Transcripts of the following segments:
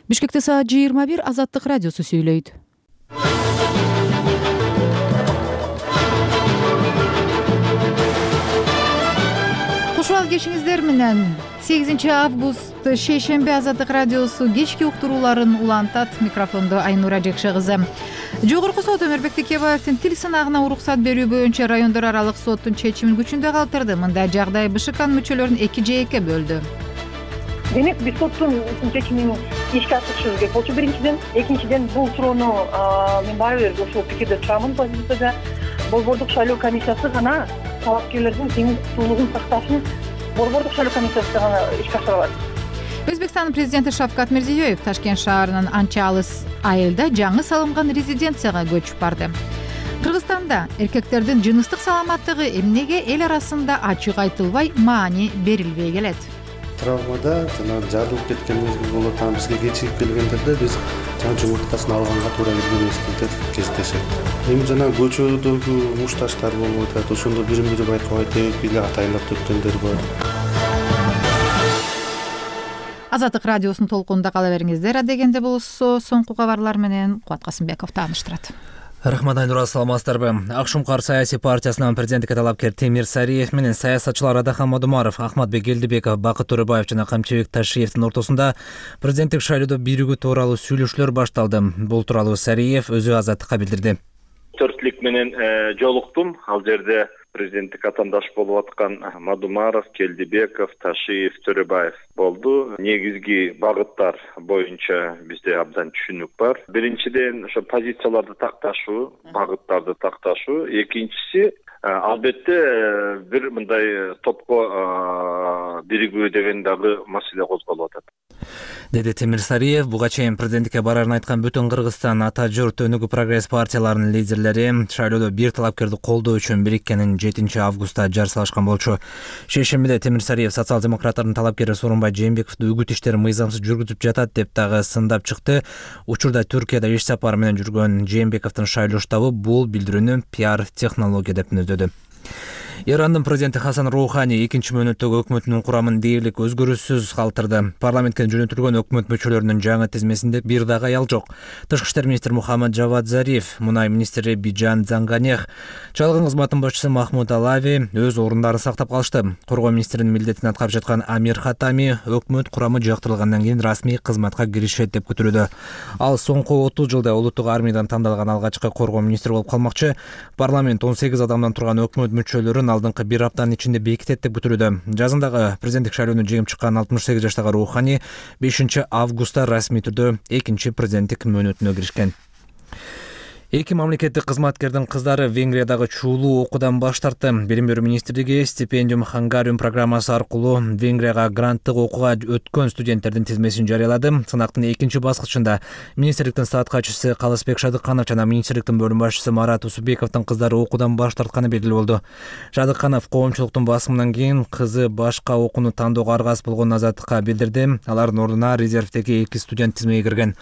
Бишкекте саат 21 Азаттык радиосу сүйлөйт. Кушубал кешиңиздер менен 8 август шейшемби Азаттык радиосу кечки уктурууларын улантат. Микрофондо Айнура Жекше кызы. Жогорку сот Өмүрбек Текебаевдин тил сынагына уруксат берүү боюнча райондор аралык соттун чечимин күчүндө калтырды. Мындай жагдай БШКнын мүчөлөрүн 2 жээкке бөлдү. Демек биз соттун чечимин ишке ашырышыбыз керек болчу биринчиден. Экинчиден бул суроону мен баары бир ошол пикирде турамын. Позицияда Борбордук шайлоо комиссиясы гана талапкерлердин тең укуктуулугун сакташын Борбордук шайлоо комиссиясы гана ишке ашыра алат. Өзбекстандын президенти Шавкат Мирзиёев Ташкент шаарынын анча алыс айылда жаңы салынган резиденцияга көчүп барды. Кыргызстанда эркектердин жыныстык саламаттыгы эмнеге эл арасында ачык айтылбай, маани берилбей келет? Травмада жана жарылып кеткен мезгил болот, бизге кечигип келгендерде биз жумурткасын алганга туура келген мезгилдер кездешет. Эми жана көчөдөгү мушташтар болуп атат, ошондо бири-бири байкабай тег эле атайлап өткөндөр бар. Азаттык радиосунун толкунунда кала бериңиздер. Дегенде болсо соңку кабарлар менен Кубат Касымбеков тааныштырат. Рахмат, Айнура, саламатсыздарбы? Акшумкар саясий партиясынын президенттикке талапкер Темир Сариев менен саясатчылар Адахан Мадумаров, Ахматбек Элдибеков, Бакыт Төрөбаев жана Камчыбек Ташиевдин ортосунда президенттик шайлоодо биригүү тууралуу сүйлөшүүлөр башталды. Бул тууралуу Сариев өзү Азаттыкка билдирди. Төртлүк менен жолуктум. Ал жерде президенттик атаандаш болуп аткан Мадумаров, Келдибеков, Ташиев, Төрөбаев болду. Негизги багыттар боюнча бизде абдан түшүнүк бар. Биринчиден ошо позицияларды такташуу, багыттарды такташуу. Экинчиси албетте бир мындай топко биригүү деген дагы маселе козголуп атат, деди Темир Сариев. Буга чейин президенттикке барарын айткан Бүтүн Кыргызстан, Ата Журт, Өнүгүү Прогресс партияларынын лидерлери шайлоодо бир талапкерди колдоо үчүн бириккенин 7 августта жар салышкан болчу. Шейшембиде Темир Сариев социал-демократтардын талапкери Сооронбай Жээнбековду үгүт иштерин мыйзамсыз жүргүзүп жатат деп дагы сындап чыкты. Учурда Түркияда иш сапары менен жүргөн Жээнбековдун шайлоо штабы бул билдирүүнү пиар технология деп мүнөздөдү. Ирандын президенти Хасан Роухани 2 мөөнөттөгү өкмөтүнүн курамын дээрлик өзгөрүүсүз калтырды. Парламентке жөнөтүлгөн өкмөт мүчөлөрүнүн жаңы тизмесинде бир дагы аял жок. Тышкы иштер министри Мухаммад Жавад Зариф, мунай министри Биджан Занганех, чалгын кызматынын башчысы Махмуд Алави өз орундарын сактап калышты. Коргоо министринин милдетин аткарып жаткан Амир Хатами өкмөт курамы жактырылгандан кийин расмий кызматка киришет деп күтүлүүдө. Ал соңку 30 жылда улуттук армиядан тандалган алгачкы коргоо министри болуп калмакчы. Парламент 18 адамдан турган өкмөт мүчөлөрүн алдыңкы бир аптанын ичинде бекитет деп күтүлүүдө. Жазындагы президенттик шайлоону жеңип чыккан 68 жаштагы Роухани 5 августта расмий түрдө 2 президенттик мөөнөтүнө киришкен. 2 мамлекеттик кызматкердин кыздары Венгриядагы чуулуу окуудан баш тартты. Билим берүү министрлиги стипендиум Хангариум программасы аркылуу Венгрияга гранттык окууга өткөн студенттердин тизмесин жарыялады. Сынактын 2 баскычында министрликтин стат катчысы Калысбек Шадыкканов жана министрликтин бөлүм башчысы Марат Усубековдун кыздары окуудан баш тартканы белгилүү болду. Шадыкканов коомчулуктун басымынан кийин кызы башка окууну тандоого аргасыз болгонун Азаттыкка билдирди. Алардын ордуна резервдеги 2 студент тизмеге кирген.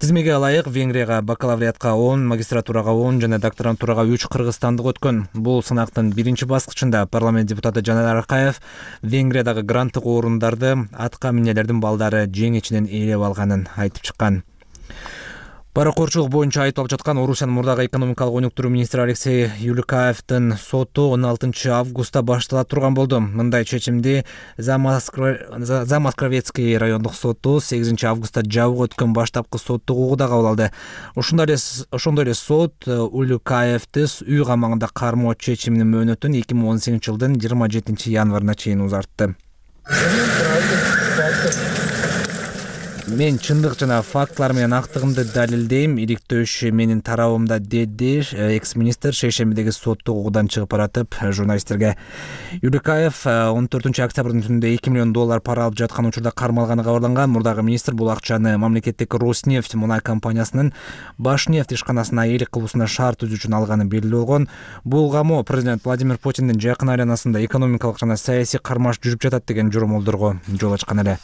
Тизмеге ылайык Венгрияга бакалавриатка 10, магистратурага 10 жана докторантурага 3 кыргызстандык өткөн. Бул сынактын 1 баскычында парламент депутаты Жанар Аркаев Венгриядагы гранттык орундарды атка минелердин балдары жең ичинен ээлеп алганын айтып чыккан. Паракорчулук боюнча айтылып жаткан Орусиянын мурдагы экономикалык өнүктүрүү министри Алексей Юликаевдин соту 16 августта баштала турган болду. Мындай чечимди Замоскворецкий райондук соту 8 августта жабык өткөн баштапкы соттук угууда кабыл алды. Ошондой эле сот Юликаевди үй камагында кармоо чечиминин мөөнөтүн 2018 жылдын 27 январына чейин узартты. Мен чындык жана фактылар менен актыгымды далилдейм, иликтөөшү менин тарабымда, деди экс-министр шейшембидеги соттук угуудан чыгып баратып журналисттерге. Юликаев 14 октябрдын түнүндө $2 миллион пара алып жаткан учурда кармалганы кабарланган. Мурдагы министр бул акчаны мамлекеттик Роснефть мунай компаниясынын Башнефть ишканасынаээлик кылуусуна шарт түзүү үчүн алганы белгилүү болгон. Бул камоо президент Владимир Путиндин жакын айланасында экономикалык жана саясий кармаш жүрүп жатат деген жоромолдорго жол ачкан эле.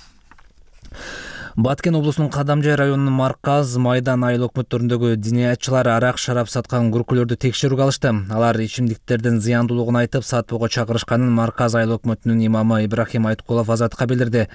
Баткен облусунун Кадамжай районунун Марказ, Майдан айыл өкмөттөрүндөгү диниятчылар арак шарап саткан күркүлөрдү текшерүүгө алышты. Алар ичимдиктердин зыяндуулугун айтып, сатпоого чакырышканын Марказ айыл өкмөтүнүн имамы Ибрахим Айткулов Азаттыкка билдирди.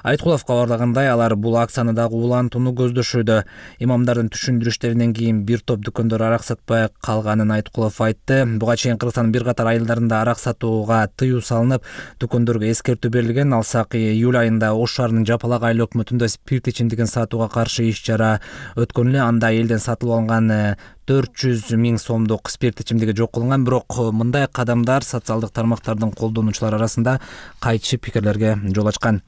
Айткулов кабарлагандай, алар бул акцияны дагы улантууну көздөшүүдө. Имамдардын түшүндүрүштөрүнөн кийин бир топ дүкөндөр арак сатпай калганын Айткулов айтты. Буга чейин Кыргызстандын бир катар айылдарында арак сатууга тыюу салынып, дүкөндөргө эскертүү берилген. Алсак июль айында Ош шаарынын Жапалак айыл өкмөтүндө спирт ичимдигин сатууга каршы иш-чара өткөн эле. Анда элден сатылып алынган 400 000 сомдук спирт ичимдиги жок кылынган. Бирок мындай кадамдар социалдык тармактардын колдонуучулары арасында кайчы пикирлерге жол ачкан.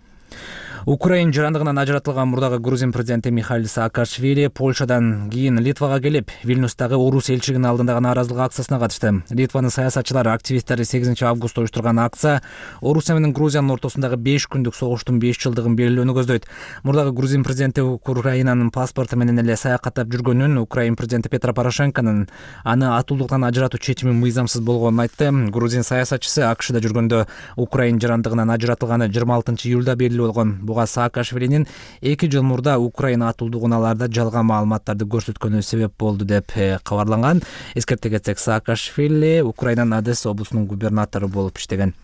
Украин жарандыгынан ажыратылган мурдагы грузин президенти Михаил Саакашвили Польшадан кийин Литвага келип, Вильнюстагы орус элчилигинин алдындагы нааразылык акциясына катышты. Литванын саясатчылары, активисттери 8 августта уюштурган акция Орусия менен Грузиянын ортосундагы 5 күндүк согуштун 5 жылдыгын белгилөөнү көздөйт. Мурдагы грузин президенти Украинанын паспорту менен эле саякаттап жүргөнүн, Украин президенти Петро Порошенконун аны атуулуктан ажыратуу чечими мыйзамсыз болгонун айтты. Грузин саясатчысы АКШда жүргөндө Украин жарандыгынан ажыратылганы 26 июлда белгилүү болгон. Саакашвилинин 2 жыл мурда Украина атуулдугун аларда жалган маалыматтарды көрсөткөнү себеп болду деп кабарланган. Эскерте кетсек, Саакашвили Украинанын Одесса облусунун губернатору болуп иштеген.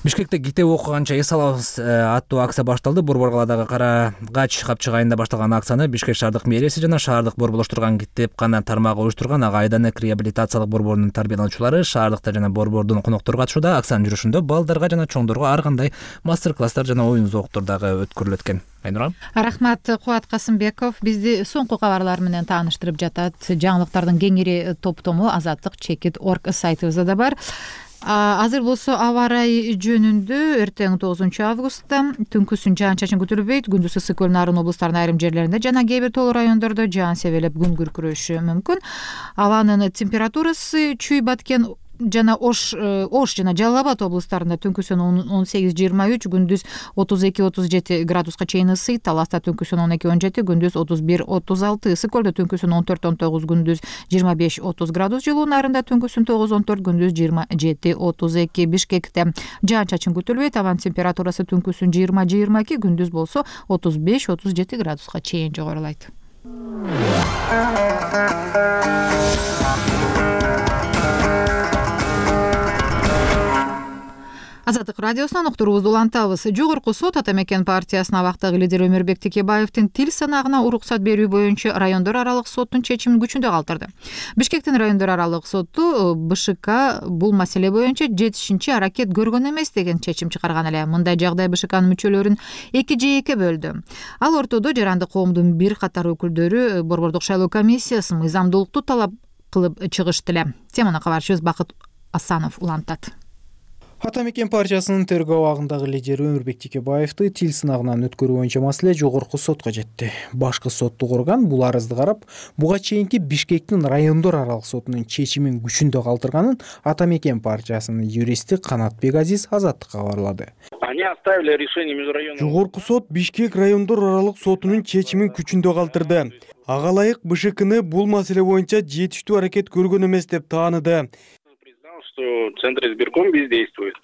Бишкекте китеп окуганча эс алабыз аттуу акция башталды. Борбор калаадагы Карагач капчык айында башталган акцияны Бишкек шаардык мэрияси жана шаардык борборлоштурган китепкана тармагы уюштурган. Ага Айданек реабилитациялык борборунун тарбиялануучулары шаардыкта жана борбордун коноктору катышууда. Акциянын жүрүшүндө балдарга жана чоңдорго ар кандай мастер-класстар жана оюн зооктор дагы өткөрүлөт экен. Айнура. Рахмат, Кубат Касымбеков. Бизди соңку кабарлар менен тааныштырып жатат. Жаңылыктардын кеңири топтому azatlyk.org сайтыбызда да бар. Азыр болсо аба ырайы жөнүндө эртең 9 августта түнкүсүн жаан-чачын күтүлбөйт. Күндүз ысык көл нарын облустарынын айрым жерлеринде жана кээ бир тоолуу райондордо жаан себелеп күн күркүрөшү мүмкүн. Абанын температурасы Чүй, Баткен жана Ош жана Жалал Абад облустарында түнкүсүн 18-23, күндүз 32-37 градуска чейин ысыйт. Таласта түнкүсүн 12-17, күндүз 31-36, ысык көлдө түнкүсүн 14-19, күндүз 25-30 градус жылуу. Нарында түнкүсүн 9-14, күндүз 27-32. Бишкекте жаан-чачын күтүлбөйт. Абанын температурасы түнкүсүн 20-22, күндүз болсо 35-37 градуска чейин жогорулайт. Азаттык радиосунан уктуруубузду улантабыз. Жогорку сот Ата Мекен партиясынын абактагы лидери Өмүрбек Текебаевдин тил санаагына уруксат берүү боюнча райондор аралык соттун чечимин күчүндө калтырды. Бишкектин райондор аралык соту БШК бул маселе боюнча жетишинчи аракет көргөн эмес деген чечим чыгарган эле. Мындай жагдай БШКнын мүчөлөрүн 2 жээкке бөлдү. Ал ортодо жарандык коомдун бир катар өкүлдөрү борбордук шайлоо комиссиясы мыйзамдуулукту талап кылып чыгышты эле. Теманы кабарчыбыз Бакыт Асанов улантат. Ата Мекен партиясынын тергөө абагындагы лидери Өмүрбек Текебаевди тил сынагынан өткөрүү боюнча маселе жогорку сотко жетти. Башкы соттук орган бул арызды карап, буга чейинки Бишкектин райондор аралык сотунун чечимин күчүндө калтырганын Ата Мекен партиясынын юристи Канатбек Азиз Азаттыкка кабарлады. Жогорку сот Бишкек райондор аралык сотунун чечимин күчүндө калтырды. Ага ылайык БШКны бул маселе боюнча жетиштүү аракет көргөн эмес деп тааныды. Центр избирком бездействует.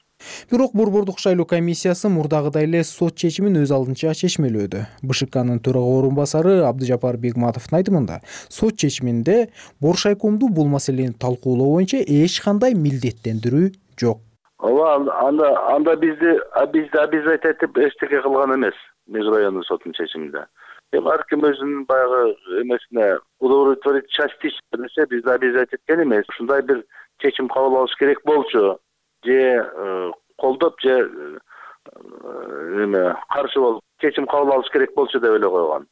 Бирок борбордук шайлоо комиссиясы мурдагыдай эле сот чечимин өз алдынча чечмелөөдү. БШКнын төрага орун басары Абдыжапар Бегматовдун айтымында, сот чечиминде Боршайкомду бул маселени талкуулоо боюнча эч кандай милдеттендирүү жок. Анда бизди обязательно эчтеке кылган эмес Меж райондук соттун чечиминде. Ар ким өзүнүн баягы эмесине удовлетворить частично десе, бизди обязательно эткен эмес. Ушундай бир чечим кабыл алыш керек болчу, же колдоп, же каршы болуп чечим кабыл алыш керек болчу деп эле койгон.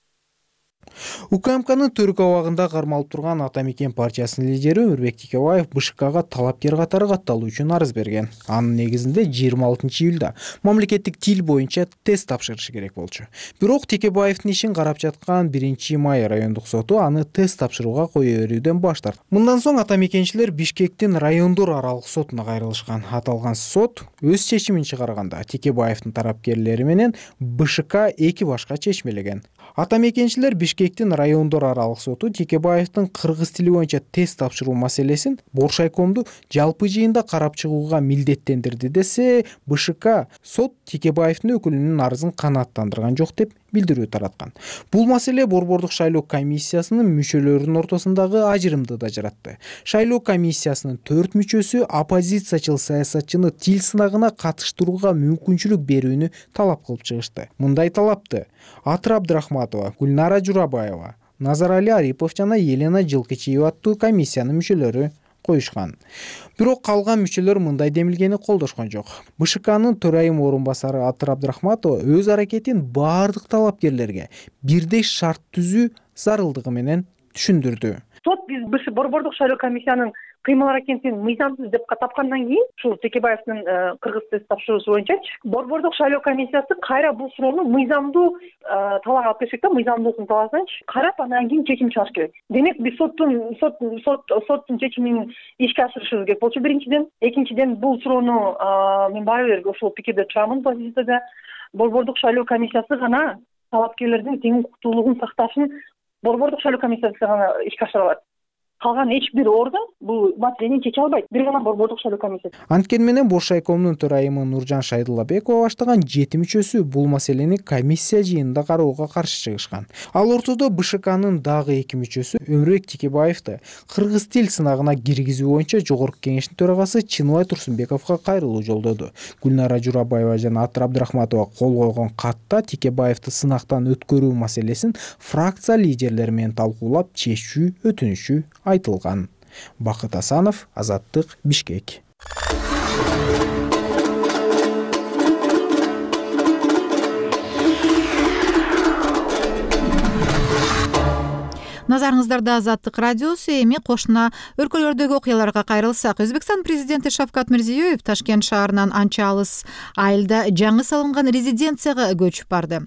УКМКнын төрүк абагында кармалып турган Ата Мекен партиясынын лидери Өмүрбек Текебаев БШКга талапкер катары катталуу үчүн арыз берген. Анын негизинде 26 июлда мамлекеттик тил боюнча тест тапшырышы керек болчу. Бирок Текебаевдин ишин карап жаткан 1 май райондук соту аны тест тапшырууга кое берүүдөн баш тартты. Мындан соң Ата Мекенчилер Бишкектин райондор аралык сотуна кайрылышкан. Аталган сот өз чечимин чыгарганда Текебаевдин тарапкерлери менен БШК эки башка чечмелеген. Ата Мекенчилер Бишкектин райондор аралык соту Текебаевдин кыргыз тили боюнча тест тапшыруу маселесин Боршайкомду жалпы жыйында карап чыгууга милдеттендирди десе, БШК сот Текебаевдин өкүлүнүн арызын канааттандырган жок деп билдирүү тараткан. Бул маселе Борбордук шайлоо комиссиясынын мүчөлөрүнүн ортосундагы ажырымды да жаратты. Шайлоо комиссиясынын 4 мүчөсү оппозициячыл саясатчыны тил сынагына катыштырууга мүмкүнчүлүк берүүнү талап кылып чыгышты. Мындай талапты Атыр Абдрахматова, Гүлнара Журабаева, Назарали Арипов жана Елена Жылкычиева аттуу комиссиянын мүчөлөрү коюшкан. Бирок калган мүчөлөр мындай демилгени колдошкон жок. БШКнын төрайым орун басары Атыр Абдрахматова өз аракетин баардык талапкерлерге бирдей шарт түзүү зарылдыгы менен түшүндүрдү. Сот биз Борбордук шайлоо комиссиянын кыймыл аракетин мыйзамсыз деп тапкандан кийин ушул Текебаевдин кыргыз тест тапшыруусу боюнча Борбордук шайлоо комиссиясы кайра бул суроону мыйзамдуу талаага алып келишек да, мыйзамдуулуктун талаасынчы карап андан кийин чечим чыгарыш керек. Демек биз соттун чечимин ишке ашырышыбыз керек болчу биринчиден. Экинчиден бул суроону мен баары бир ошол пикирде турамын позицияда. Борбордук шайлоо комиссиясы гана талапкерлердин тең укуктуулугун сакташын Борбордук шайлоо комиссиясы гана ишке ашыра алат. Калган эч бир орган бул маселени чече албайт. Бир гана Борбордук шайлоо комиссиясы. Анткени менен Бош шайкомдун төрайымы Нуржан Шайдуллабекова баштаган 7 мүчөсү бул маселени комиссия жыйынында кароого каршы чыгышкан. Ал ортодо БШКнын дагы 2 мүчөсү Өмүрбек Текебаевди кыргыз тил сынагына киргизүү боюнча Жогорку кеңештин төрагасы Чыныбай Турсунбековго кайрылуу жолдоду. Гүлнара Журабаева жана Атыр Абдрахматова кол койгон катта Текебаевди сынактан өткөрүү маселесин фракция лидерлери менен талкуулап чечүү өтүнүшү айтылган. Бакыт Асанов, Азаттык, Бишкек. Назарыңыздарда Азаттык радиосу. Эми кошуна өлкөлөрдөгү окуяларга кайрылсак, Өзбекстан президенти Шавкат Мирзиёев Ташкент шаарынан анча алыс айылда жаңы салынган резиденцияга көчүп барды.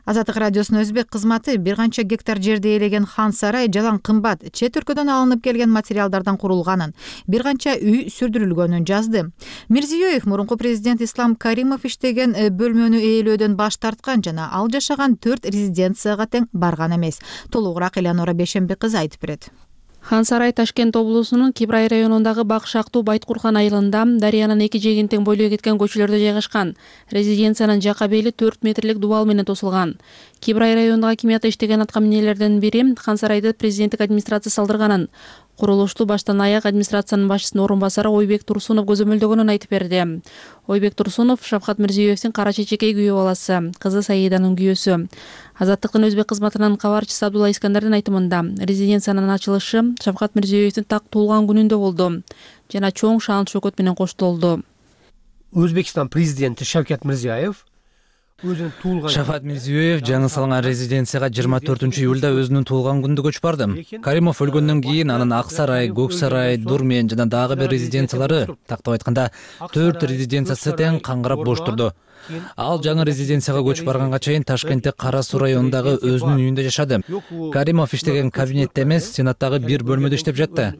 Азаттык радиосунун өзбек кызматы бир канча гектар жерди ээлеген хан сарай жалаң кымбат чет өлкөдөн алынып келген материалдардан курулганын, бир канча үй сүрдүрүлгөнүн жазды. Мирзиёев мурунку президент Ислам Каримов иштеген бөлмөнү ээлөөдөн баш тарткан жана ал жашаган 4 резиденцияга тең барган эмес. Толугураак Элеонора Бейшемби кызы айтып берет. Хан сарай Ташкент облусунун Кибрай районундагы Бакшактуу Байткуркан айылында дарыянын эки жээгин тең бойлой кеткен көчөлөрдө жайгашкан. Резиденциянын жака бели 4 метрлик дубал менен тосулган. Кибрай районундагы акимиятта иштеген аткаминерлерден бири хан сарайды президенттик администрация салдырганын, курулушту баштан аяк администрациянын башчысынын орун басары Ойбек Турсунов көзөмөлдөгөнүн айтып берди. Ойбек Турсунов Шавкат Мирзиёевдин кара чечекей күйөө баласы, кызы Саиданын күйөөсү. Азаттыктын өзбек кызматынын кабарчысы Абдулла Искандердин айтымында, резиденциянын ачылышы Шавкат Мирзиёевдин так туулган күнүндө болду жана чоң шаан шөкөт менен коштолду. Өзбекстан президенти Шавкат Мирзиёев Шавкат Мирзиёев жаңы салынган резиденцияга 24-июлда өзүнүн туулган күнүндө көчүп барды. Каримов өлгөндөн кийин анын Ак сарай, Көк сарай, Дурмен жана дагы бир резиденциялары, тактап айтканда 4 резиденциясы тең каңгырап бош турду. Ал жаңы резиденцияга көчүп барганга чейин Ташкентте Кара Суу районундагы өзүнүн үйүндө жашады. Каримов иштеген кабинетте эмес, Сенаттагы бир бөлмөдө иштеп жатты.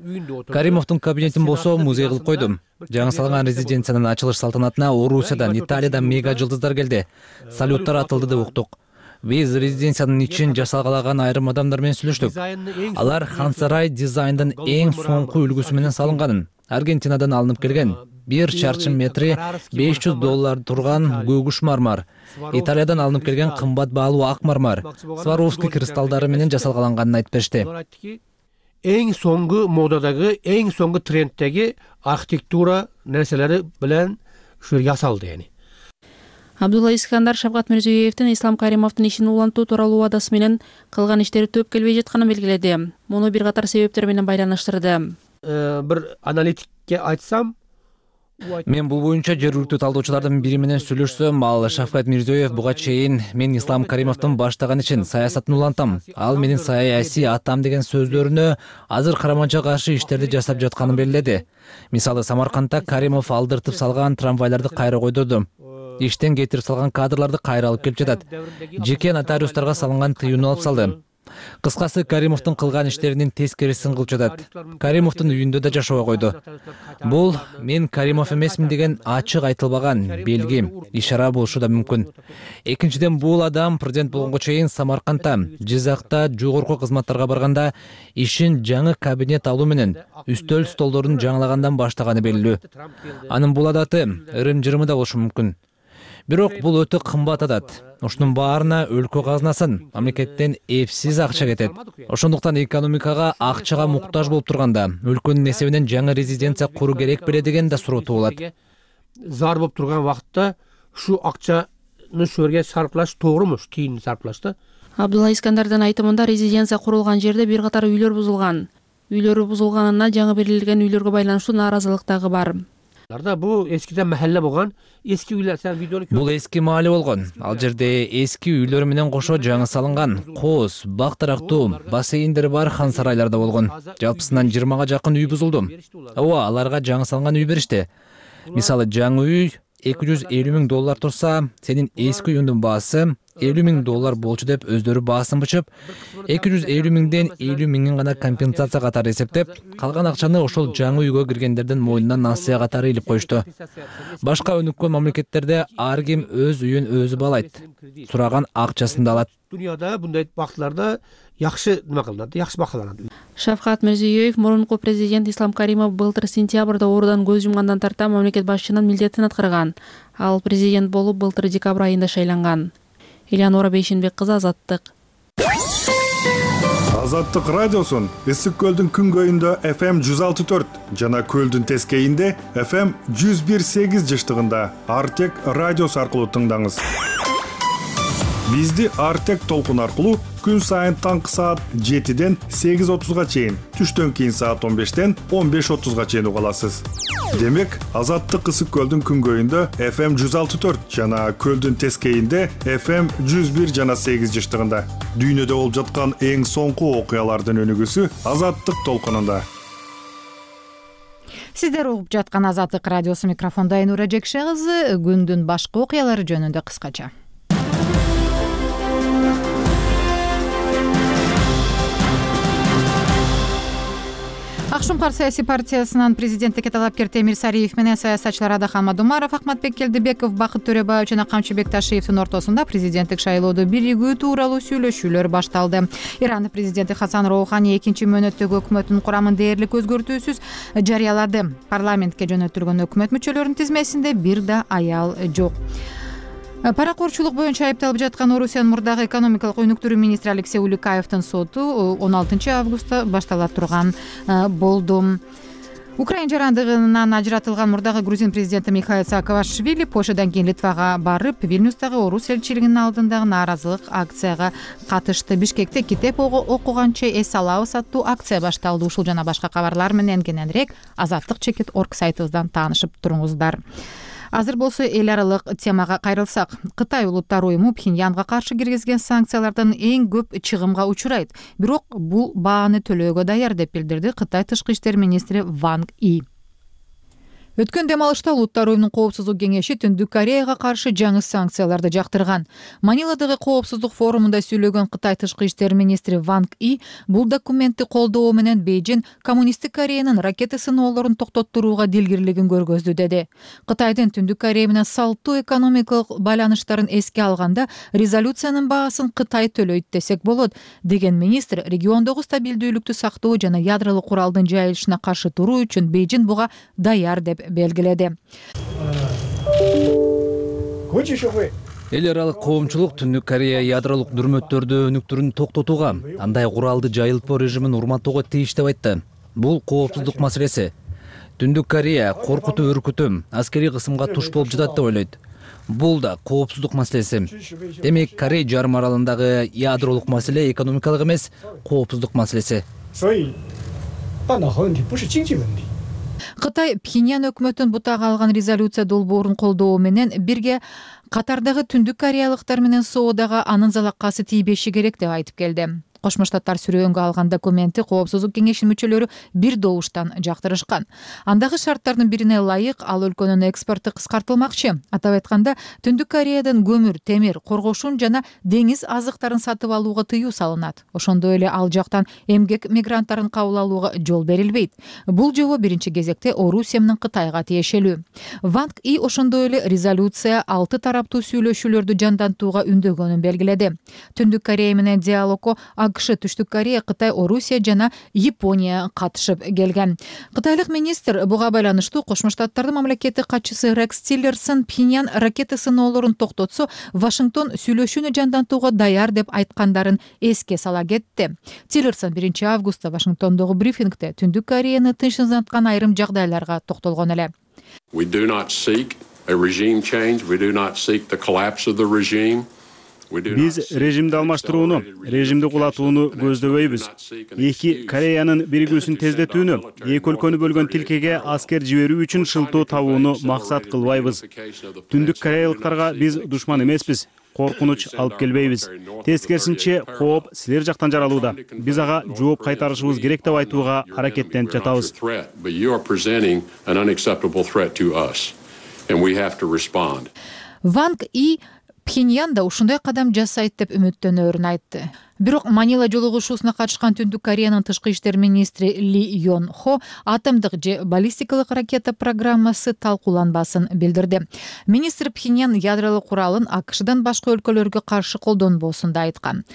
Каримовдун кабинетин болсо музей кылып койдум. Жаңы салынган резиденциянын ачылыш салтанатына Орусиядан, Италиядан мега жылдыздар келди. Салюттар атылды деп уктук. Биз резиденциянын ичин жасалгалаган айрым адамдар менен сүйлөштүк. Алар хан сарай дизайндын эң соңку үлгүсү менен салынганын, Аргентинадан алынып келген, 1 чарчы метри $500 турган көгүш мармар, Италиядан алынып келген кымбат баалуу ак мармар, Сваровский кристалдары менен жасалганын айтып беришти. Эң соңку модадагы, эң соңку тренддеги архитектура нерселери менен ушу жасалды эни. Абдулла Искандар Шавкат Мирзиёевдин Ислам Каримовдун ишин улантуу тууралуу убадасы менен кылган иштери төп келбей жатканын белгиледи. Муну бир катар себептер менен байланыштырды. Бир аналитикке айтсам, мен бул боюнча жергиликтүү талдоочулардын бири менен сүйлөшсөм, ал Шавкат Мирзиёев буга чейин мен Ислам Каримовдун баштаган ишин саясатын улантам, ал менин саясий атам деген сөздөрүнө азыр караманча каршы иштерди жасап жатканын белгиледи. Мисалы, Самаркандда Каримов алдыртып салган трамвайларды кайра койдурду. Иштен кетирип салган кадрларды кайра алып келип жатат. Жеке нотариустарга салынган тыюуну алып салды. Кыскасы, Каримовдун кылган иштеринин тескерисин кылып жатат. Каримовдун үйүндө да жашабай койду. Бул мен Каримов эмесмин деген ачык айтылбаган белги, ишара болушу да мүмкүн. Экинчиден, бул адам президент болгонго чейин Самаркандта, Жизакта жогорку кызматтарга барганда ишин жаңы кабинет алуу менен үстөл столдорун жаңылагандан баштаганы белгилүү. Анын бул адаты ырым-жырымы да болушу мүмкүн. Бирок бул өтө кымбат атат. Ушунун баарына өлкө казынасын, мамлекеттен эпсиз акча кетет. Ошондуктан экономикага акчага муктаж болуп турганда, өлкөнүн эсебинен жаңы резиденция куруу керек беле деген да суроо туулат. Зар болуп турган вакытта ушу акчаны ушул жерге сарпташ тоогуруму, тийиндүү сарпташ да? Абдулла Искандардын айтымында резиденция курулган жерде бир катар үйлөр бузулган. Үйлөрү бузулганына жаңы берилген үйлөргө байланыштуу нааразылык дагы бар. Бул эскиден махалла болгон, эски үйлөр, сен видеону Бул эски маале болгон. Ал жерде эски үйлөр менен кошо жаңы салынган кооз, бак тарактуу, бассейндери бар хан сарайларда болгон. Жалпысынан 20га жакын үй бузулду. Ооба, аларга жаңы салынган үй беришти. Мисалы, жаңы үй $250 000 турса, сенин эски үйүңдүн баасы $50 000 болчу деп өздөрү баасын бычып, 250 000ден 50 000 гана компенсация катары эсептеп, калган акчаны ошол жаңы үйгө киргендердин мойнуна насыя катары илип коюшту. Башка өнүккөн мамлекеттерде ар ким өз үйүн өзү баалайт. Сураган акчасын да алат. Дүйнөдө мындай бактыларда жакшы неме кылынат, жакшы бакаланат. Шавкат Мирзиёев мурунку президент Ислам Каримов былтыр сентябрда оорудан көз жумгандан тарта мамлекет башчынын милдетин аткарган. Ал президент болуп былтыр декабрь айында шайланган. Элеонора Бейшенбек кызы, Азаттык. Азаттык радиосун Ысык көлдүн күнгөйүндө FM 106.4 жана көлдүн тескейинде FM 101.8 жыштыгында Артек радиосу аркылуу тыңдаңыз. Бизди Артек толкун аркылуу күн сайын таңкы саат 7ден 8:30га чейин, түштөн кийин саат 15ден 15:30га чейин уга аласыз. Демек, Азаттык Ысык көлдүн күнгөйүндө FM 106.4 жана көлдүн тескейинде FM 101 жана 8 жыштыгында. Дүйнөдө болуп жаткан эң соңку окуялардын өнүгүүсү Азаттык толкунунда. Сиздер угуп жаткан Азаттык радиосу, микрофондо Айнура Жекше кызы. Күндүн башка окуялары жөнүндө кыскача. Ак Шуңкар саясий партиясынын президенттикке талапкер Темир Сариев менен саясатчылар Адахан Мадумаров, Акматбек Келдибеков, Бакыт Төрөбаев жана Камчыбек Ташиевдин ортосунда президенттик шайлоодо биригүү тууралуу сүйлөшүүлөр башталды. Иран президенти Хасан Роухани экинчи мөөнөттөгү өкмөтүнүн курамын дээрлик өзгөртүүсүз жарыялады. Парламентке жөнөтүлгөн өкмөт мүчөлөрүнүн тизмесинде бир да аял жок. Паракорчулук боюнча айыпталып жаткан Орусиянын мурдагы экономикалык өнүктүрүү министри Алексей Уликаевдин соту 16 августта баштала турган болду. Украина жарандыгынан ажыратылган мурдагы грузин президенти Михаил Саакашвили Польшадан кийин Литвага барып, Вильнюстагы орус элчилигинин алдындагы нааразылык акцияга катышты. Бишкекте китеп окуганча эс алабыз аттуу акция башталды. Ушул жана башка кабарлар менен кененирээк Азаттык.org сайтыбыздан таанышып туруңуздар. Азыр болсо эл аралык темага кайрылсак, Кытай улуттар уюму Пхеньянга каршы киргизген санкциялардан эң көп чыгымга учурайт. Бирок бул бааны төлөөгө даяр деп билдирди Кытай тышкы иштер министри Ванг И. Өткөн дем алышта Улуттар уюмунун коопсуздук кеңеши Түндүк Кореяга каршы жаңы санкцияларды жактырган. Маниладагы коопсуздук форумунда сүйлөгөн Кытай тышкы иштер министри Ванг И бул документти колдоо менен Бейжин коммунисттик Кореянын ракета сыноолорун токтоттурууга дилгирлигин көргөздү деди. Кытайдын Түндүк Корея менен салттуу экономикалык байланыштарын эске алганда резолюциянын баасын Кытай төлөйт десек болот, деген министр региондогу стабилдүүлүктү сактоо жана ядролук куралдын жайылышына каршы туруу үчүн Бейжин буга даяр деп белгиледи. Эл аралык коомчулук Түндүк Корея ядролук дүрмөттөрдү өнүктүрүүнү токтотууга, андай куралды жайылтпоо режимин урматтоого тийиш деп айтты. Бул коопсуздук маселеси. Түндүк Корея коркутуу, үркүтүү, аскерий кысымга туш болуп жатат деп ойлойт. Бул да коопсуздук маселеси. Демек, Корей жарым аралындагы ядролук маселе экономикалык эмес, коопсуздук маселеси. Кытай Пхеньян өкмөтүнүн бутага алган резолюция долбоорун колдоо менен бирге катардагы Түндүк кореялыктар менен соодага анын залаккасы тийбеши керек деп айтып келди. Кошмо Штаттар сүрөөнгө алган документти коопсуздук кеңешинин мүчөлөрү бир добуштан жактырышкан. Андагы шарттардын бирине ылайык ал өлкөнүн экспорту кыскартылмакчы. Атап айтканда, Түндүк Кореядан көмүр, темир, коргошун жана деңиз азыктарын сатып алууга тыюу салынат. Ошондой эле ал жактан эмгек мигранттарын кабыл алууга жол берилбейт. Бул жобо биринчи кезекте Орусия менен Кытайга тиешелүү. Ванг И ошондой эле резолюция 6 тараптуу сүйлөшүүлөрдү жандантууга үндөгөнүн белгиледи. Түндүк Корея менен диалогго АКШ, Түштүк Корея, Кытай, Орусия жана Япония катышып келген. Кытайлык министр буга байланыштуу Кошмо Штаттардын мамлекеттик катчысы Рекс Тиллерсон Пхеньян ракета сыноолорун токтотсо, Вашингтон сүйлөшүүнү жандантууга даяр деп айткандарын эске сала кетти. Тиллерсон 1 августта Вашингтондогу брифингде Түндүк Кореяны тынчсызданткан айрым жагдайларга токтолгон эле. We do not seek a regime change. We do not seek the collapse of the regime. Биз режимди алмаштырууну, режимди кулатууну көздөбөйбүз. Эки Кореянын биригүүсүн тездетүүнү, эки өлкөнү бөлгөн тилкеге аскер жиберүү үчүн шылтоо табууну максат кылбайбыз. Түндүк кореялыктарга биз душман эмеспиз, коркунуч алып келбейбиз. Тескерисинче, кооп силер жактан жаралууда. Биз ага жооп кайтарышыбыз керек деп айтууга аракеттенип жатабыз. Ванг И Пхеньян да ушундай кадам жасайт деп үмүттөнөөрүн айтты. Бирок Манила жолугушуусуна катышкан Түндүк Кореянын тышкы иштер министри Ли Йон Хо атомдук же баллистикалык ракета программасы талкууланбасын билдирди. Министр Пхеньян ядролук куралын АКШдан башка өлкөлөргө каршы колдонбосун да айткан.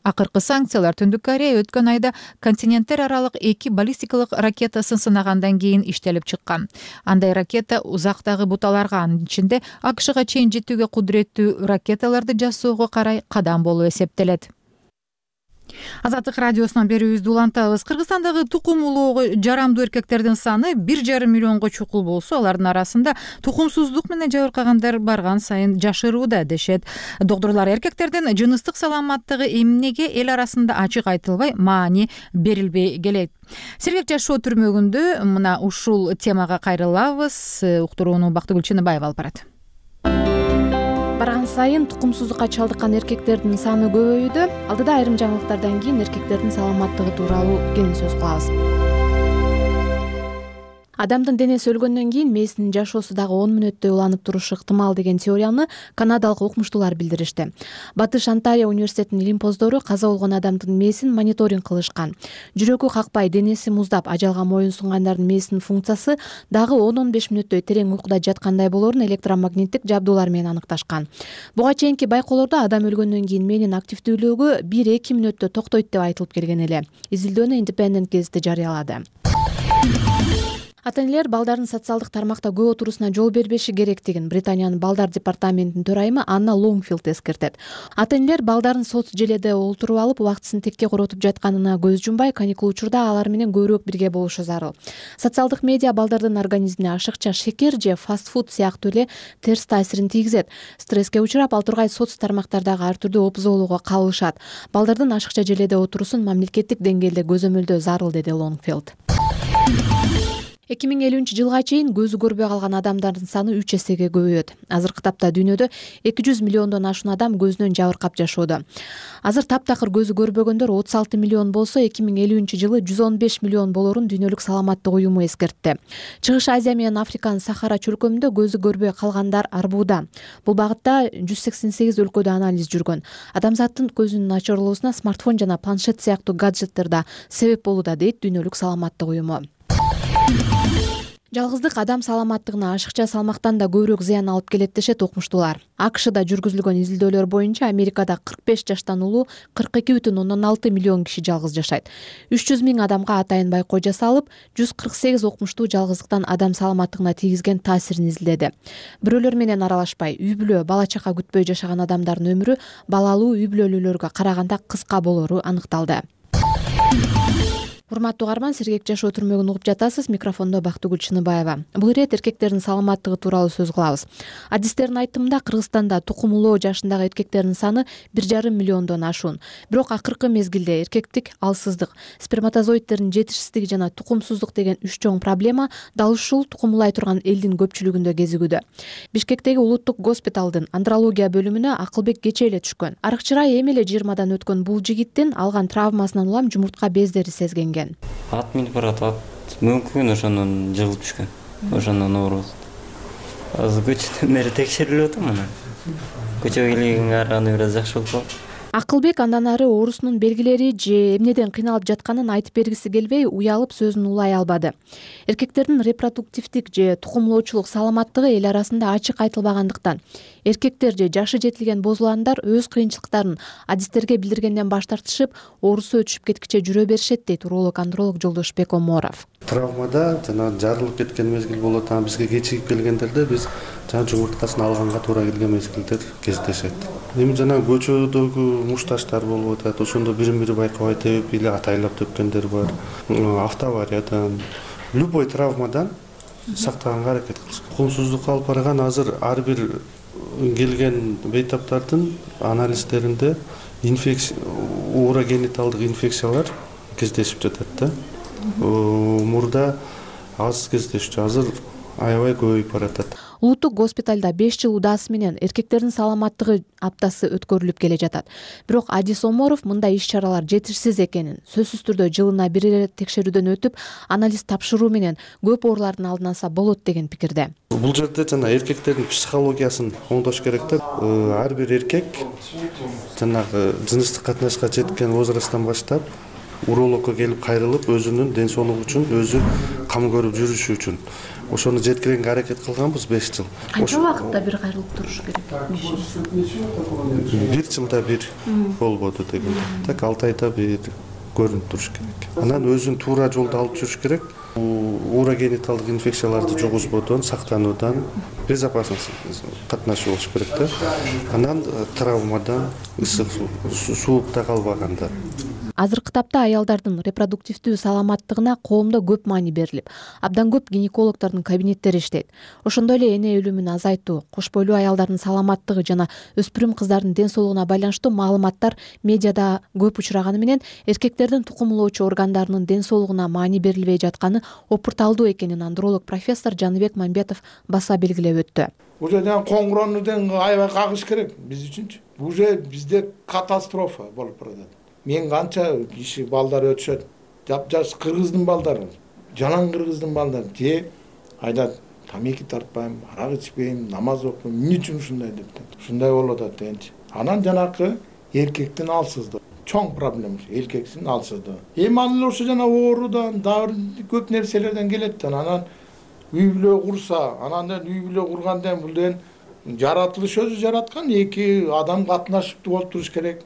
Акыркы санкциялар Түндүк Корея өткөн айда континенттер аралык 2 баллистикалык ракетасын сынагандан кийин иштелип чыккан. Андай ракета узактагы буталарга, анын ичинде АКШга чейин жетүүгө кудуреттүү ракеталарды жасоого карай кадам болуп эсептелет. Азаттык радиосунан берүүбүздү улантабыз. Кыргызстандагы тукум улоого жарамдуу эркектердин саны 1,5 миллионго чукул болсо, алардын арасында тукумсуздук менен жабыркагандар барган сайын жашырууда дешет. Доктурлар эркектердин жыныстык саламаттыгы эмнеге эл арасында ачык айтылбай, маани берилбей келет. Сергек жашоо түрмөгүндө мына ушул темага кайрылабыз. Уктурууну Бактыгүл Чыныбаева алып барат. Барган сайын тукумсуздукка чалдыккан эркектердин саны көбөйүүдө. Алдыда айрым жаңылыктардан кийин эркектердин саламаттыгы тууралуу кеңин сөз кылабыз. Адамдын денеси өлгөндөн кийин мээсинин жашоосу дагы 10 мүнөттөй уланып турушу ыктымал деген теорияны канадалык окумуштуулар билдиришти. Батыш Онтарио университетинин илимпоздору каза болгон адамдын мээсин мониторинг кылышкан. Жүрөгү какпай, денеси муздап, ажалга моюн сунгандардын мээсинин функциясы дагы 10-15 мүнөттөй терең уйкуда жаткандай болоорун электромагниттик жабдуулар менен аныкташкан. Буга чейинки байкоолордо адам өлгөндөн кийин мээнин активдүүлүгү 1-2 мүнөттө токтойт деп айтылып келген эле. Изилдөөнү Independent гезити жарыялады. Ата-энелер балдардын социалдык тармакта көп отурусуна жол бербеши керектигин Британиянын балдар департаментинин төрайымы Анна Лонгфилд эскертет. Ата-энелер балдарын соц желеде олтуруп алып, убактысын текке коротуп жатканына көз жумбай, каникул учурда алар менен көбүрөөк бирге болушу зарыл. Социалдык медиа балдардын организмине ашыкча шекер же фастфуд сыяктуу эле терс таасирин тийгизет. Стресске учурап, ал тургай соц тармактардагы ар түрдүү опузолууга кабылышат. Балдардын ашыкча желеде отурусун мамлекеттик деңгээлде көзөмөлдөө зарыл, деди Лонгфилд. 2050-жылга чейин көзү көрбөй калган адамдардын саны 3 эсеге көбөйөт. Азыркы тапта дүйнөдө 200 миллиондон ашуун адам көзүнөн жабыркап жашоодо. Азыр таптакыр көзү көрбөгөндөр 36 миллион болсо, 2050-жылы 115 миллион болорун Дүйнөлүк саламаттык уюму эскертти. Чыгыш Азия менен Африканын Сахара чөлкөмүндө көзү көрбөй калгандар арбууда. Бул багытта 188 өлкөдө анализ жүргөн. Адамзаттын көзүнүн начарлоосуна смартфон жана планшет сыяктуу гаджеттер да себеп болууда, дейт Дүйнөлүк саламаттык уюму. Жалгыздык адам саламаттыгына ашыкча салмактан да көбүрөөк зыян алып келет, дешет окумуштуулар. АКШда жүргүзүлгөн изилдөөлөр боюнча Америкада 45 жаштан улуу 42,6 миллион киши жалгыз жашайт. 300 миң адамга атайын байкоо жасалып, 148 окумуштуу жалгыздыктан адам саламаттыгына тийгизген таасирин изилдеди. Бирөөлөр менен аралашпай, үй бүлө, бала чака күтпөй жашаган адамдардын өмүрү балалуу үй бүлөлүүлөргө караганда кыска болору аныкталды. Урматтуу угарман, Сергек жашоо түрмөгүн угуп жатасыз. Микрофондо Бактыгүл Чыныбаева. Бул ирет эркектердин саламаттыгы тууралуу сөз кылабыз. Адистердин айтымында Кыргызстанда тукум улоо жашындагы эркектердин саны 1,5 миллиондон ашуун. Бирок акыркы мезгилде эркектик алсыздык, сперматозоидтердин жетишсиздиги жана тукумсуздук деген 3 чоң проблема дал ушул тукумулай турган элдин көпчүлүгүндө кезигүүдө. Бишкектеги улуттук госпиталдын андрология бөлүмүнө Акылбек кечээ эле түшкөн. Арыкчырай эми эле 20-дан өткөн бул жигиттин алган травмасынан улам жумуртка бездери сезгенген. Ат минип барат, мүмкүн ошондон жыгылып түшкөн. Ошондон ооруп. Азыр көчөдөн бери текшерилип атам мына. Көчөгө келгенге караганда бир аз жакшы болуп калды. Акылбек андан ары оорусунун белгилери же эмнеден кыйналып жатканын айтып бергиси келбей, уялып сөзүн улай албады. Эркектердин репродуктивдик же тукумлоочулук саламаттыгы эл арасында ачык айтылбагандыктан эркектер же жашы жетилген бозуландар өз кыйынчылыктарын адистерге билдиргенден баш тартышып, оорусу өтүшүп кеткиче жүрө беришет, дейт уролог-андролог Жолдошбек Оморов. Травмада жана жарылып кеткен мезгил болот, бизге кечигип келгендерде биз жана жумурткасын алганга туура келген мезгилдер кездешет. Эми жана көчөдөгү мушташтар болуп атат, ошондо бирин-бири байкабай теуп или атайлап төпкөндөр бар. Автоавариядан, любой травмадан сактаганга аракет кылыш. Тукумсуздукка алып барган азыр ар бир келген бейтаптардын анализдеринде урогениталдык инфекциялар кездешип жатат да. Мурда аз кездешчү, азыр аябай көбөйүп баратат. Улуттук госпиталда 5 жыл удаасы менен эркектердин саламаттыгы аптасы өткөрүлүп келе жатат. Бирок Адис Оморов мындай иш-чаралар жетишсиз экенин, сөзсүз түрдө жылына бир ирет текшерүүдөн өтүп, анализ тапшыруу менен көп оорулардын алдын алса болот деген пикирде. Бул жерде жана эркектердин психологиясын оңдош керек да. Ар бир эркек жанагы жыныстык катнашка жеткен возрасттан баштап урологко келип кайрылып, өзүнүн ден соолугу үчүн өзү кам көрүп жүрүшү үчүн ошону жеткиренге аракет кылганбыз 5 жыл. Канча убакытта бир кайрылып туруш керек? 1 жылда бир болбоду деген. Так 6 айда бир көрүнүп туруш керек. Анан өзүн туура жолдо алып жүрүш керек. Урогениталдык инфекцияларды жугузбоодон, сактануудан, безопасность катнашуу болуш керек да. Анан травмадан, ысык суукта калбаганда. Азыркы тапта аялдардын репродуктивдүү саламаттыгына коомдо көп маани берилип, абдан көп гинекологдордун кабинеттери иштейт. Ошондой эле эне өлүмүн азайтуу, кош бойлуу аялдардын саламаттыгы жана өспүрүм кыздардын ден соолугуна байланыштуу маалыматтар медиада көп учураганы менен эркектердин тукумулоочу органдарынын ден соолугуна маани берилбей жатканы опурталдуу экенин андролог профессор Жаныбек Мамбетов баса белгилеп өттү. Уже коңгуроонуден аябай кагыш керек биз үчүнчү. Уже бизде катастрофа болуп баратат. Мен канча киши балдар өтүшөт. Жап-жаш кыргыздын балдары, жанан кыргыздын балдары же айтат, тамеки тартпайм, арак ичпейм, намаз окуйм, эмне үчүн ушундай деп. Ушундай болуп атат дегенчи. Анан жанакы эркектин алсыздыгы. Чоң проблема эркектин алсыздыгы. Эми анын ошо жана оорудан, дагы көп нерселерден келет. Анан үй бүлө курса, анан үй бүлө кургандан бул деген жаратылыш өзү жараткан, эки адам катнашыптуу болуп туруш керек.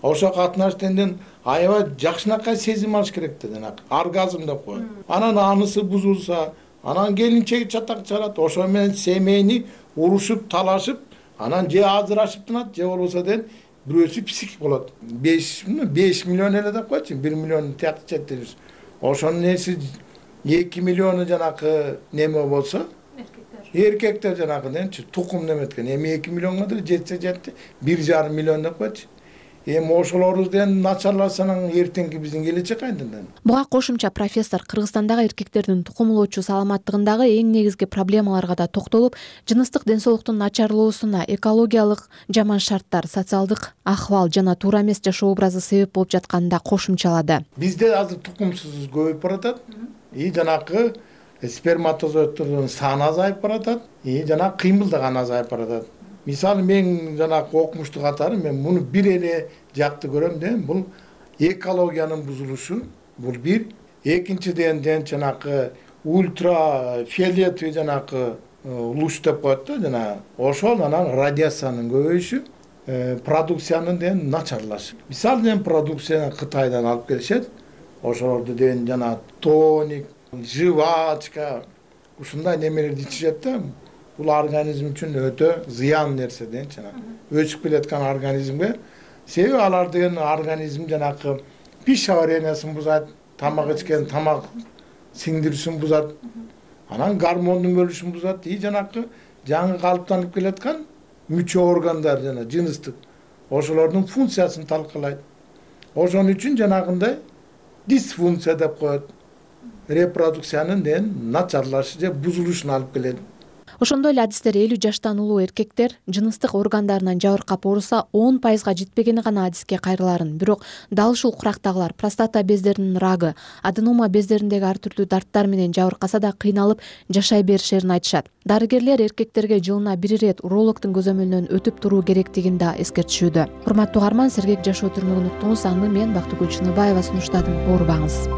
Ошо катнаштан аябай жакшынакай сезим алыш керек да, жанагы оргазм деп коет. Анан анысы бузулса, анан келинчеги чатак чарат, ошо менен семейни урушуп, талашып, анан же ажырашып тынат, же болбосо деген бирөөсү психик болот. 5 миллион эле деп койчу, 1 миллион тиякты жетти. Ошонун эси 2 миллиону жанакы неме болсо, эркектер жанакы денчи тукум неметкен. Эми 2 миллионго да жетсе жетти, 1,5 миллион деп койчу. Эми ошолордун начарласанын эртеңки биздин келечек кайдан? Буга кошумча профессор Кыргызстандагы эркектердин тукумулоочу саламаттыгындагы эң негизги проблемаларга да токтолуп, жыныстык ден соолуктун начарлоосуна экологиялык жаман шарттар, социалдык акыбал жана туура эмес жашоо образы себеп болуп жатканын да кошумчалады. Бизде азыр тукумсуз көбөйүп баратат. Жанакы сперматозоиддордун саны азайып баратат. Жана кыймылдаган азайып баратат. Мисалы мен жанакы окумуштуу катары мен муну бир эле жакты көрөм да, бул экологиянын бузулушу, бул бир. Экинчиден жанакы ультрафиолетовый жанакы луч деп коет да, жана ошол анан радиациянын көбөйүшү, продукциянын деген начарлашы. Мисалы мен продукцияны Кытайдан алып келишет. Ошолорду деген жана тоник, жвачка, ушундай немелерди ичишет да. Бул организм үчүн өтө зыян нерсе деген жана өсүп келаткан организмге. Себеби алар деген организм жанакы пищеварениясын бузат, тамак ичкен тамак сиңдирүүсүн бузат, анан гормондун бөлүшүн бузат. Жанакы жаңы калыптанып келаткан мүчө органдар жана жыныстык ошолордун функциясын талкалайт. Ошон үчүн жанагындай дисфункция деп коет. Репродукциянын деген начарлашы же бузулушуна алып келет. Ошондой эле адистер 50 жаштан улуу эркектер жыныстык органдарынан жабыркап ооруса 10%га жетпегени гана адиске кайрыларын, бирок дал ушул курактагылар простата бездеринин рагы, аденома бездериндеги ар түрдүү дарттар менен жабыркаса да кыйналып жашай беришерин айтышат. Дарыгерлер эркектерге жылына 1 ирет урологдун көзөмөлүнөн өтүп туруу керектигин да эскертишүүдө. Урматтуу угарман, сергек жашоо түрмөгүн уктуңуз. Аны мен Бактыгүл Чыныбаева сунуштадым. Оорубаңыз.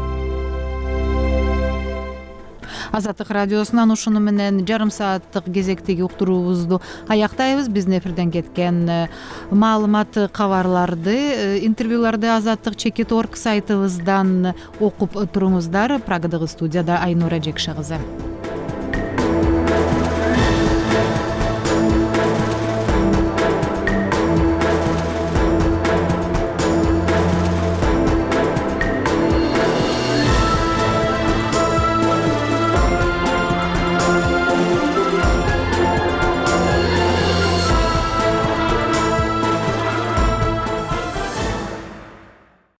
Азаттык радиосунан ушуну менен жарым сааттык кезектеги уктуруубузду аяктайбыз. Биздин эфирден кеткен маалымат, кабарларды, интервьюларды Азаттык Чекит.org сайтыбыздан окуп туруңуздар. Прагадагы студияда Айнура Жекше кызы.